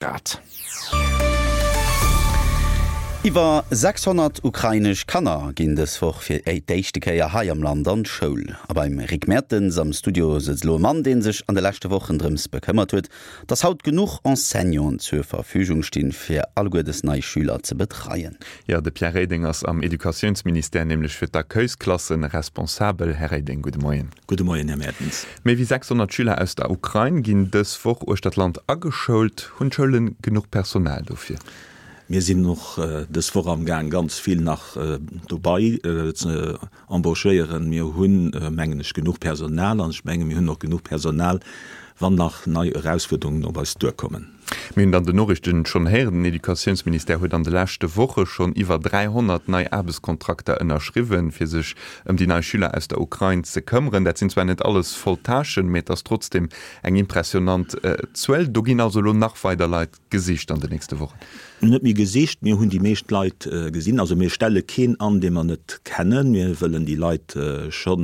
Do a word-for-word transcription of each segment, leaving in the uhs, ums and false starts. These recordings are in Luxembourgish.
Grad. Iwwer sechshonnert ukrainesch Kanner ginn dës Woch fir d'éischte Kéier hei am Land an d'Schoul. A beim Rick Mertens am Studio sëtzt elo e Mann, dee sech an de leschte Wochen drëms bekëmmert huet, dass haut genuch Enseignanten zur Verfügung stinn, fir alleguer dës nei Schüler ze betreien. Jo, de Pierre Reding ass am Educatiounsministère nämlech fir d'Accueilsklassen responsabel. Här Reding, gudde Moien. Gudde Moien, Här Mertens. Méi wéi sechshonnert Schüler aus der Ukrain ginn dës Woch uechter d'Land ageschoult. Hunn d'Schoule genuch Personal dofir? Mir sinn och dës Woch amgaang ganz vill nach dobei ze embauchéieren. Mir hunn, mengen ech, genuch Personal an ech menge mir hunn och genuch Personal, wann nach nei Erausfuerderungen op eis duerkommen. Mir hunn et an den Noriichten schonn héieren, den Educatiounsministère huet an de leschte Woche schonn iwwer dräihonnert nei Aarbechtskontrakter ënnerschriwwen, fir sech ëm déi nei Schüler aus der Ukrain ze këmmeren. Dat sinn zwar net alles voll Tâchen, mee et ass trotzdeem eng impressionant Zuel. Do ginn also elo nach weider Leit gesicht an den nächste Wochen? Net méi gesicht, mir hunn déi meescht Leit gesinn. Also mir stelle keen an, dee mer net kennen. Mir wëllen déi Leit scho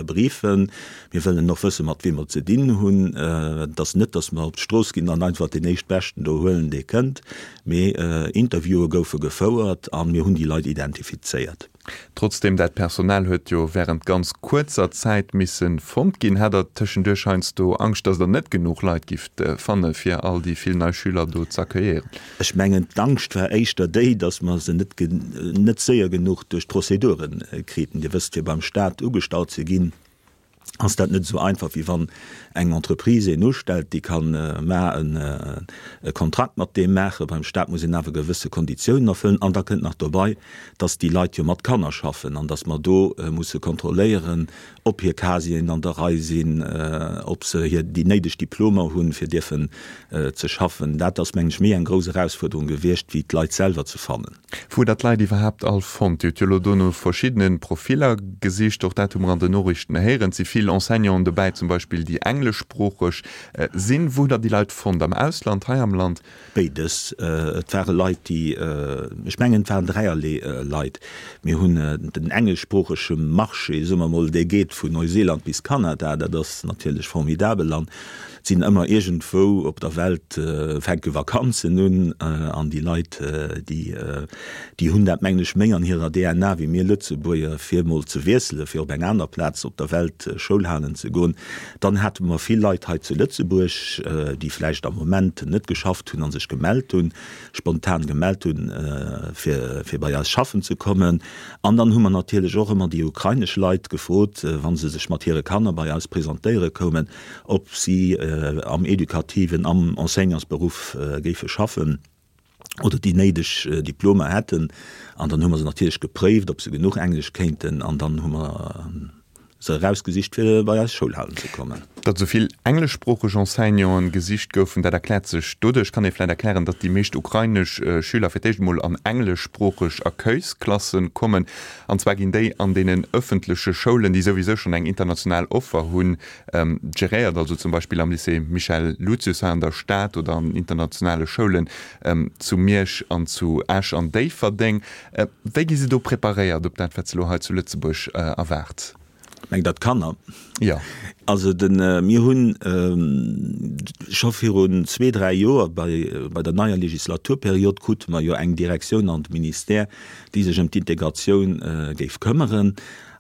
briefen. Mir wëllen och wëssen, mat weem mer ze dinn hunn. Et ass net, datt mer op d'Strooss ginn an einfach deen éischtbeschten do huelen, dee kënnt. Mee Interviewe goufe gefouert a mir hunn déi Leit identifizéiert. Trotzdem, dat Personal huet jo während ganz kuerzer Zäit misse fonnt ginn. Hat Der tëschenduerch heiansdo Angscht, dass Der net genuch Leit gifft fanne fir all déi vill nei Schüler do z'accueillieren? Ech mengen, d'Angscht war éischter déi, dass mer se net net séier genuch duerch d'Prozedure kriten. Dir wësst, fir beim Stat ugestallt ze ginn, ass dat net esou einfach, wéi wann eng Entreprise een ustellt, déi ka mar e Kontrakt mat deem maachen. Beim Stat muss een awer gewësse Konditiounen erfëllen. An da kënnt nach dobei, dass déi Leit jo mat Kanner schaffen an dass mer do musse kontrolléieren, ob hir Casieren an der Rei sinn, ob se hir déi néideg Diplomer hunn, fir dierfen ze schaffen. Dat ass, mengen ech, méi eng grouss Erausfuerderung gewiescht, wéi d'Leit selwer ze fannen. Wou hutt Der d'Leit iwwerhaapt all fonnt? Dir hutt jo elo do no verschiddene Profiller gesicht, och dat hu mer an den Noriichten héieren. Et si vill Enseignanten dobäi zum Beispill, déi engleschsproocheg sinn. Wou hutt Der déi Leit fonnt? Am Ausland, hei am Land? Béides. Et ware Leit, déi, ech mengen, et waren dräierlee Leit. Mir hunn den engleschsproochege Marché, soe mer emol, dee geet vun Neuseeland bis Kanada. Dat ass natierlech formidabel an et sinn ëmmer iergendwou op der Welt fänke Vakanzen un an déi Leit, déi, déi hunn dat, mengen ech, méi an hirer D N A wéi mir Lëtzebuerger, fir emol ze wiesselen, fir op eng aner Plaz op der Welt Schoul halen ze goen. Dann hate mer vill Leit hei zu Lëtzebuerg, déi vläicht am Moment net geschafft hunn a sech gemellt hunn, spontan gemellt hunn, fir, fir bei eis schaffen ze kommen. An dann hu mer natierlech och ëmmer déi ukrainesch Leit gefrot, wa se sech mat hire Kanner bei eis presentéiere koumen, ob si am edukativen, am Enseignantsberuff géife schaffen oder déi néideg Diplomer hätten. An dann hu mer se natierlech gepréift, ob se genuch Englesch kéinten. An dann hu mer se erausgesicht, fir bei eis Schoul halen ze kommen. Datt esou vill engleschsproocheg Enseignanten gesicht goufen, dat erkläert sech doduerch. Kann ee vläicht erklären, datt déi meescht ukrainesch Schüler fir d'éischt emol an engleschsproocheg Accueilsklasse kommen. An zwar ginn déi an deenen ëffentleche Schoulen, déi souwisou schonn eng international Offer hunn, geréiert, also zum Beispill am Lycée Michel Lucius hei an der Stad oder an internationale Schoulen zu Miersch an zu Esch an Déifferdeng. Wéi gi se do preparéiert op dat, wat se elo hei zu Lëtzebuerg erwaart? Mengt Der d'Kanner? Jo. Also de, mir hunn scho virun zwee, dräi Joer bei, bei der neier Legislaturperiod krute mer jo eng Direktioun an de Ministère, déi sech ëm d'Integratioun géif këmmeren.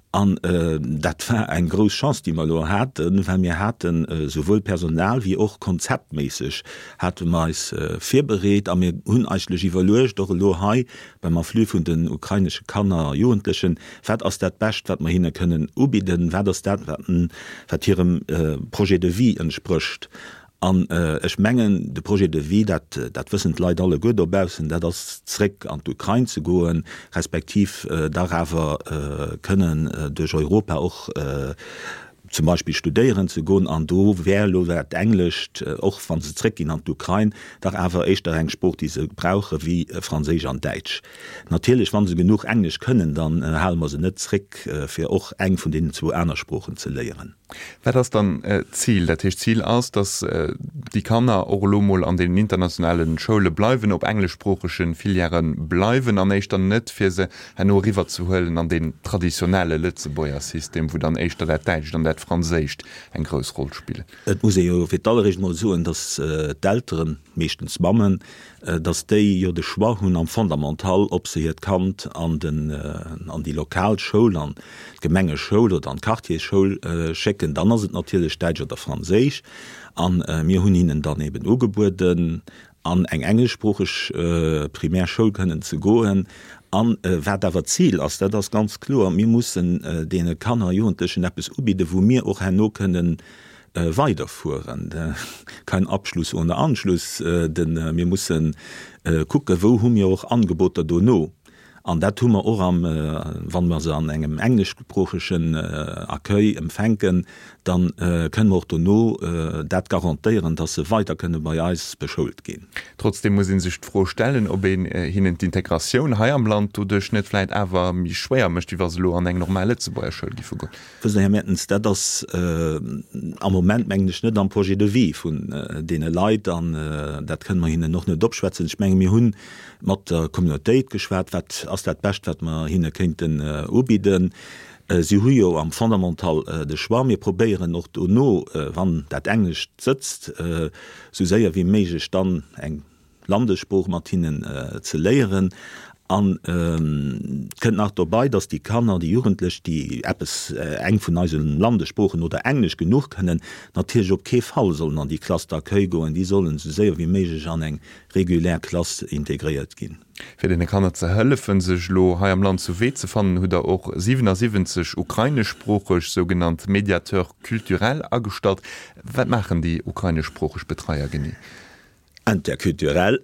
An dat war eng grouss Chance, déi mer elo haten, well mir haten esouwuel Personal wéi och konzeptméisseg hate mer eis virbereet a mir hunn eigentlech iwwerluecht, och elo hei beim Afflux vun den ukrainesche Kanner a Jugendlechen, wat ass dat Bescht, wat mer hinne kënnen ubidden, wat ass dat, wat hirem Projet de vie entsprécht. An ech mengen, de Projet de vie, dat, dat wëssen d'Leit alleguer dobaussen, dat ass zréck an d'Ukrain ze goen, respektiv dach awer kënnen duerch Europa och zum Beispill studéieren ze goen, an do wär elo dat Englescht, och wa se zréckginn an d'Ukrain, dach awer éischter eng Sprooch, déi se brauche wéi Franséisch an Däitsch. Natierlech, wa se genuch Englesch kënnen, dann hale mer se net zréck, fir och eng vun deenen zwou aner Sproochen ze léieren. Wat ass dann d'Zil? Dat heescht, d'Zil ass, datt déi Kanner och elo mol an deenen internationale Schoule bleiwen, op engleschsproochege Filièrë bleiwen an éischter net, fir se herno eriwwerzehuelen an deen traditionelle Lëtzebuerger System, wou dann éischter dat Däitscht an dat Franséischt eng grouss Roll spillen. Et muss ee jo fir d'alleréischt mol soen, datt d'Elteren, meeschtens d'Mammen, datt déi jo de Choix hunn am Fondamental, ob se hiert Kand an den, an déi lokal Schoul, an d'Gemengeschoul oder an d'Quartiersschoul schécken. Dann ass et natierlech Däitsch oder Franséisch. A mir hunn hinnen dann eben ugebueden, an eng engleschsproocheg Primärschoul kënnen ze goen. A wat awer d'Zil ass, dat ass ganz kloer, Mir mussen deene Kanner a Jugendlechen eppes ubidden, wou mir och herno kënnen weiderfueren. Kein Abschluss ohne Anschluss. Mir musse kucken, wou hu mir och Angeboter dono. An dat hu mer och am, wa mer se an engem engleschsproochegen Accueil empfänken, da kënne mer och dono dat garantéieren, dass se weider kënne bei eis beschoult ginn. Trotzdeem muss ee sech d'Fro stellen, ob een hinnen d'Integratioun hei am Land doduerch net vläicht awer méi schwéier mécht, wéi wa se elo an eng normal Lëtzebuerger Schoul giffe goen. Wësst Der, Här Mertens, dat ass am Moment, mengen ech, net am Projet de vie vun deene Leit an dat kënne mer hinnen och net opschwätzen. Ech menge mir hu mat der Communautéit geschwat, wat ass dat Bescht, wat mer hinne kéinten ubidden. Si hu jo am Fondamental de Choix. Mir probéieren och dono, wann dat Englescht sëtzt, esou séier wéi méiglech dann eng Landessprooch mat hinnen ze léieren. An et kënnt nach dobei, dass déi Kanner, déi Jugendlech, déi eppes, eng vun eise Landessproochen oder Englesch genuch kënnen, natierlech op kee Fall sollen an déi Classe d'accueil goen. Déi sollen esou séier wéi méiglech an eng regulär Klass integréiert ginn. Fir deene Kanner ze hëllefen, sech elo hei am Land zu Wee ze fannen, hutt Der och siwenasiwwenzeg ukraineschsproocheg sougenannt Médiateurs culturels agestallt. Wat maachen déi ukraineschsproocheg Betreier genee? Interculturel,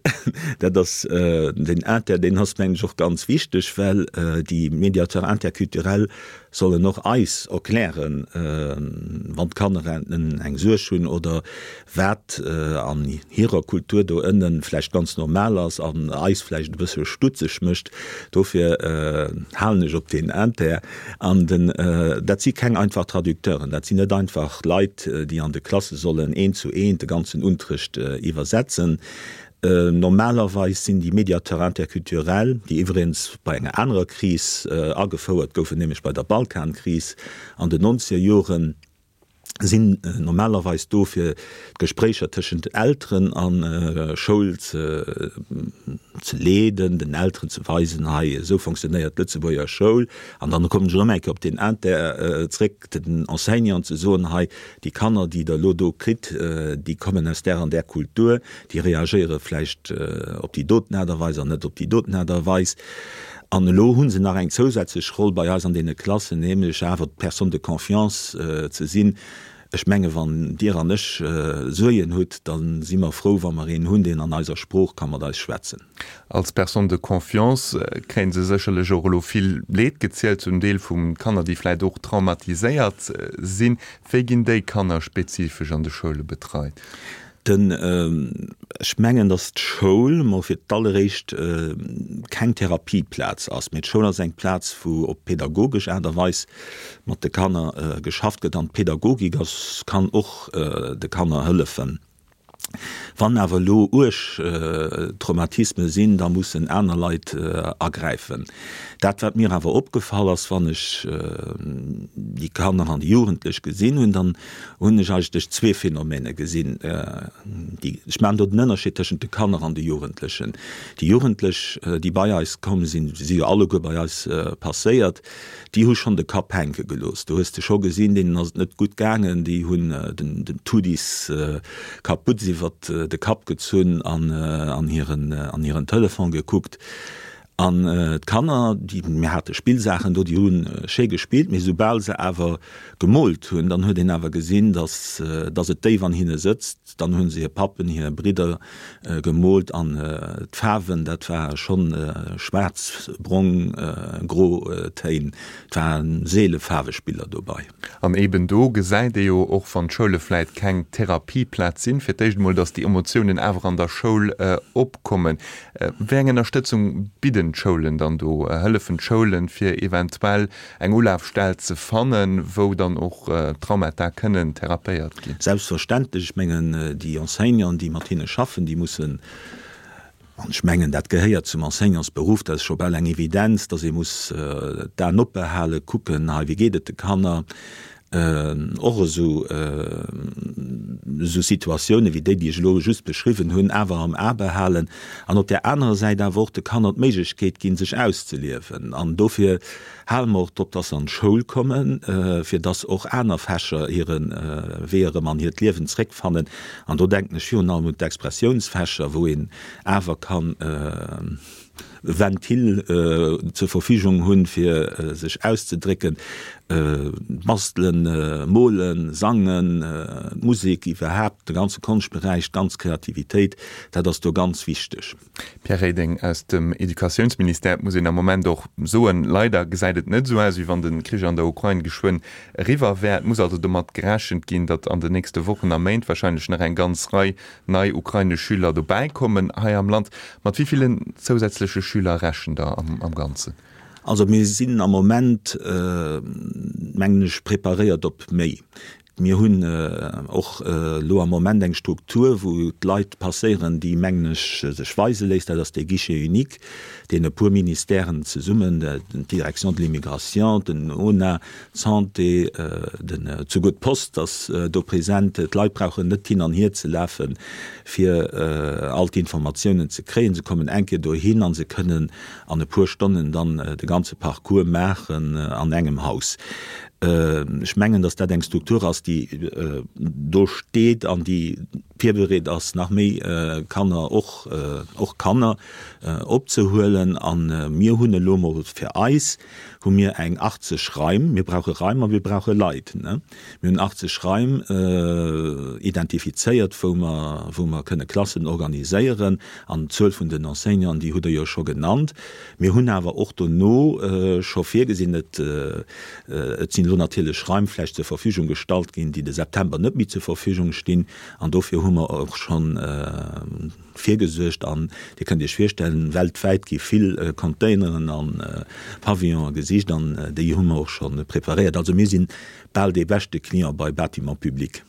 dat ass den Inter, deen ass mengen ech och ganz wichteg, well déi Médiateurs interculturels sollen och eis erklären, wann d'Kanner eng Suerg hunn oder wat an hirer Kultur do ënnen vläicht ganz normal ass an eis vläicht e bësse stutzeg mécht. Dofir halen ech op deen Inter. An den, dat si keng einfach Traducteuren, dat sinn net einfach Leit, déi an de Klasse sollen eent zu eent de ganzen Unterrecht iwwersetzen. Normalerweis sinn déi Médiateurs interculturels, déi iwwregens bei enger anerer Kris agefouert goufen, nämlech bei der Balkankris an den nonzeger Joren, sinn normalerweis do fir d'Gespréicher tëschent Elteren a Schoul ze ze leeden, den Elteren ze weisen, hei esou fonctionnéiert d'Lëtzebuerger Schoul. An dann kommen ech erëm eng Kéier op den Inter zréck, den Enseignanten ze soen, hei déi Kanner, déi Der elo do kritt, déi kommen aus där an där Kultur, déi reagéiere vläicht op déi doten Aart a Weis an net op déi doten Aart a Weis. An elo hu se nach eng zousätzlech Roll bei eis an deene Klassen, nämlech awer d'Personne de confiance ze sinn. Ech menge wann Dir an ech Suergen hutt, da si mer frou, wa mer een hunn, deen an eiser Sprooch ka mat eis schwätzen. Als Personne de confiance kréie se sécherlech och elo vill Leed gezielt, zum Deel vu Kanner, déi vläicht och traumatiséiert sinn. Wéi ginn déi Kanner spezifesch an de Schoule betreit? Den, ech mengen, datt d'Schoul mol fir d'alleréischt keng Therapieplaz ass, mee d'Schoul ass eng Plaz, wou op pädagogesch Aart a Weis mat de Kanner geschafft gëtt an d'Pädagogik ass, kann och de Kanner hëllefen. Wann awer elo uerg Traumatisme sinn, da mussen aner Leit agräifen. Dat, wat mir awer opgefall ass, wann ech déi Kanner an déi Jugendlech gesinn hunn, dann hunn ech eigentlech zwee Phänomene gesinn. Déi, ech maachen do den Ënnerscheed tëschent de Kanner an de Jugendlechen. Déi Jugendlech, déi bei eis komm sinn, si si jo alleguer bei eis passéiert, déi hu schonn de Kapp hänke gelooss. Do hues de scho gesinn, deenen ass et net gutt gaangen, déi hunn den, den Tudis Kaputz iwwert de Kapp gezunn an an hiren, an hiren Telefon gekuckt. An d'Kanner, déi, mir hate Spillsaachen do, déi hu schéi gespillt, mee soubal se awer gemoolt hunn, dann huet een awer gesinn, dass, dass et déif an hinne sëtzt. Dann hu se hir Pappen, hir Bridder gemoolt an d'Faarwen, dat war schonn schwaarz, brong, gro Téin. Et ware seele Faarwespiller dobei. An eeben do gesäit ee jo, och wann d'Schoule vläit keng Therapieplaz sinn, fir d'éischt emol, dass déi Emotiounen awer an der Schoul opkommen. Wéi eng Ënnerstëtzung bidden Begleeden d'Schoulen dann do, hëllefen d'Schoulen, fir eventuell eng Ulafstell ze fannen, wou dann och Traumata kënnen therapéiert ginn? Selbstverständlech. Ech mengen, déi Enseignanten, déi mat hinne schaffen, déi mussen, an ech mengen, dat gehéiert zum Enseignantsberuff, dat ass scho bal eng Evidenz, datt ee muss d'Aen opbehalen, kucken, hei, wéi geet et de Kanner, och esou esou Situatioune wéi déi, déi ech elo just beschriwwen hunn, awer am A behalen an op där anerer Säit awer och de Kanner d'Méiglechkeet ginn, sech auszeliewen. An dofir hale mer och drop, dass se an d'Schoul kommen, fir dass och aner Fächer hire Wee erëm an hiert Liewen zréckfannen. An do denken ech virun allem un d'Expressiounsfächer, wou een awer kann Ventil zur Verfügung hunn, fir sech auszedrécken, bastelen, molen, sangen, d'Musek iwwerhaapt, de ganze Konschtberäich, d'ganz Kreativitéit, dat ass do ganz wichteg. Pierre Reding aus dem Educatiounsministère, Et muss een am Moment och soen, leider gesäit et net esou aus, wéi wann de Krich an der Ukrain geschwënn eriwwer wär. Et muss also domat gerechent ginn, datt an den nächste Wochen a Méint warscheinlech nach eng ganz Rei nei ukrainesch Schüler dobäi kommen hei am Land. Mat wéi villen zousätzleche Schüler rechent Der am Ganzen? Also mir sinn am Moment, mengen ech, preparéiert op méi. Mir hunn och elo am Moment eng Struktur, wou d'Leit passéieren, déi, mengen ech, sech weise léisst. Dat ass dee Guichet unique, deen e puer Ministèren zesummen, d'Direction de l'immigration, den ONA, d'Santé, den, souguer d'Post ass do present. D'Leit brauchen net hin an hier ze lafen, fir all d'Informatiounen ze kréien. Se kommen eng Kéier dohin a se kënnen an e puer Stonnen dann de ganze Parcours maachen an engem Haus. Ech mengen, datt dat eng Struktur ass, déi do steet an déi virbereet ass, nach méi Kanner, och och Kanner opzehuelen. A mir hunn elo emol fir eis hu mir eng achtzeg Raim, mir brauche Raim a mir brauche Leit, ne? Mir hunn achtzeg Raim identifizéiert, wou mer wou mer kënne Klassen organiséieren. An d'Zuel vun den Enseignanten, déi hutt Der jo scho genannt. Mir hunn awer och dono scho virgesinn, et et sinn elo natierlech Raim vläicht zur Verfügung gestallt ginn, déi de September net méi zur Verfügung stinn. An dofir hu mer och scho virgesuergt. An Dir kënnt Iech virstellen, weltwäit gi vill Containeren a Pavillone gesicht an déi hu mer och scho preparéiert. Also mir si bal dee beschte Client bei Bâtiments publics.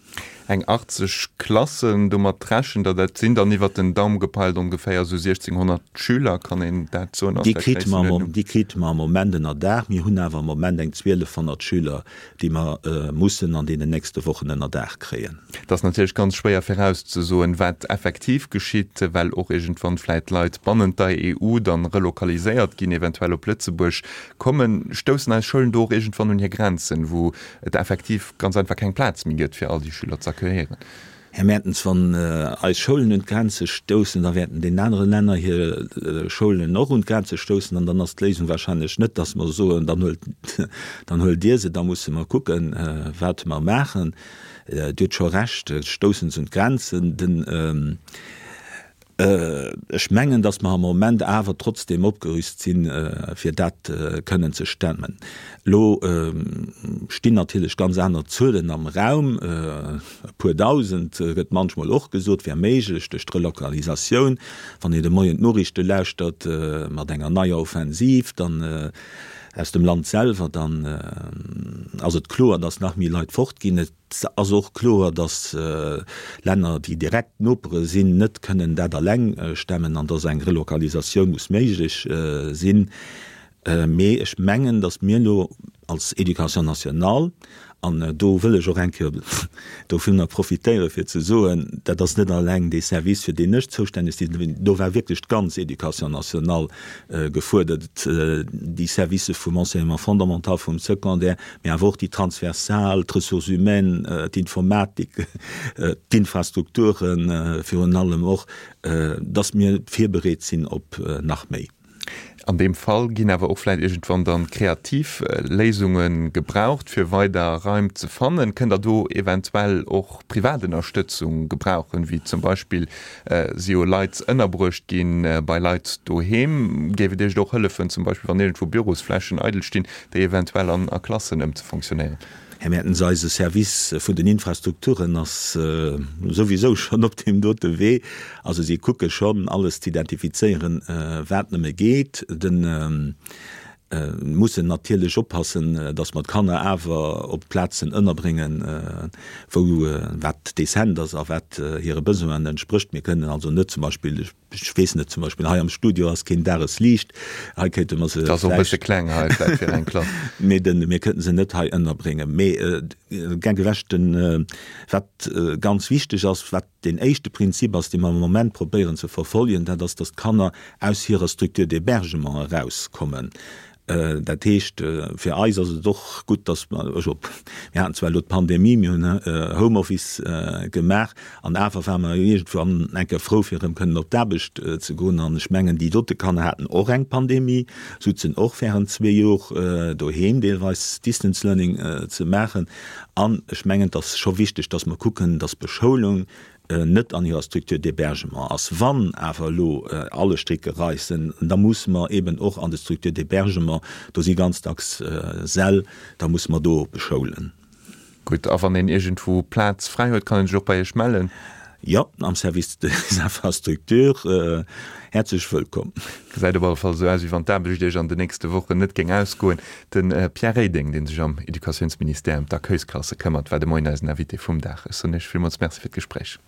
Eng achtzeg Klassen, domat rechent Der, dat sinn dann iwwert den Daum gepeilt ongeféier esou siechzehnhonnert Schüler, kann een dat soen? Déi krite mer, déi krite mer am Moment ënnerdaach. Mir hunn awer am Moment eng zwielefhonnert Schüler, déi mer mussen an deenen nächste Wochen ënnerdaach kréien. Et ass natierlech ganz schwéier virauszesoen, wat effektiv geschitt, well och iergendwann vläit Leit bannent der E U dann relokaliséiert ginn, eventuell op Lëtzebuerg kommen. Stoussen eis Schoulen do och iergendwann un hir Grenzen, wou et effektiv ganz einfach keng Plaz méi gëtt, fir all déi Schüler ze accueillieren? Här Mertens, wann eis Schoulen un d'Grenze stoussen, da wäerten deenen anere Länner hir Schoulen och un d'Grenze stoussen. An dann ass d'Léisung wahrscheinlech net, dass mer soen, dann huelt, dann huelt Dir se, da musse mer kucken, wat mer maachen. Dir hutt scho Recht, et stousse se un d'Grenzen. Den. Ech mengen, datt mer am Moment awer trotzdeem opgerüst sinn, fir dat kënnen ze stemmen. Elo stinn natierlech ganz aner Zuelen am Raum, e puer Dausend gëtt munchmol och gesot, wär méiglech duerch d'Relokalisatioun. Wann een de Moien d'Noriichte lauschtert mat enger neier Offensiv dann aus dem Land selwer, dann ass et kloer, datt nach méi Leit fortginn. Et ass och kloer, datt Länner, déi direkt Nopere sinn, net kënnen dat eleng stemmen an datt eng Relokalisatioun muss méiglech sinn. Mee ech mengen, datt mir elo als Éducation nationale, an do wëll ech och eng Kéier dovunner profitéieren, fir ze soen, dat ass net eleng dee Service, fir deen ech zoustänneg sinn, do war wierklech d'ganz Éducation nationale gefuerdert, déi Services vum Enseignement fondamental, vum Secondaire, mee awer och déi transversal, d'Ressources humaines, d'Informatik, d'Infrastrukturen virun allem och, dass mir virbereet sinn op nach méi. An deem Fall ginn awer och vläicht iergendwann dann kreativ Léisunge gebraucht, fir weider Raim ze fannen. Kënnt Der do eventuell och privat Ënnerstëtzung gebrauchen, wéi zum Beispill si jo Leit ënnerbruecht gi bei Leit doheem? Géif et Iech do och hëllefen, zum Beispill wann iergendwou Bürosflächen eidel stinn, déi eventuell an a Klassen ëmzefonctionnéieren? Här Mertens, eise Service vun den Infrastrukturen ass souwisou schonn op deem dote Wee. Also si kucke schonn, alles ze identifizéieren, wat nëmme geet. De mussen natierlech oppassen, datt mer d'Kanner awer op Plazen ënnerbréngen, wou wat decent ass a wat hire Besoinen entsprécht. Mir kënnen also net zum Beispill, ech weess net, zum Beispill hei am Studio ass keen Dagesliicht, hei kéinte mer se Dat ass och e bësse vläicht, kleng hei vläicht fir eng Klass. Mee de, mir kënnten se net hei ënnerbréngen. Mee gär gewäscht, den, wat ganz wichteg ass, wat deen éischte Prinzip ass, dee mer am Moment probéieren ze verfolgen, dat ass, datt d'Kanner aus hirer Structure d'hébergement erauskommen. Dat heescht, fir eis ass et och gutt, datt mer, also mir haten zwar elo d'Pandemie, mir hunn Homeoffice gemaach, an awer ware mer iergendwann eng Kéier frou, fir erëm kënnen op d'Aarbecht ze goen. An ech mengen, déi dote Kanner haten och eng Pandemie, souzen och während zwee Jor doheem, deelweis Distance Learning ze maachen. An ech mengen, et ass scho wichteg, datt mer kucken, datt d'Beschoulung net an hirer Structure d'hébergement ass. Wann awer elo alle Stricke reissen, da musse mer eben och an de Structures d'hébergement, do si ganz dacks Säll, da musse mer do beschoulen. Gutt, a wann een iergendwou Plaz fräi huet, kann een sech och bei Iech mellen? Jo, am Service des infrastructures. Häerzlech wëllkomm. Gesäit op alle Fall esou aus, wéi wann d'Aarbecht Iech an den nächste Wochen net géing ausgoen. De Pierre Reding, dee sech am Educatiounsministère ëm d'Accueilsklasse këmmert, war de Moien eisen Invité vum Dag. Ech soen Iech villmools Merci fir d'Gespréich.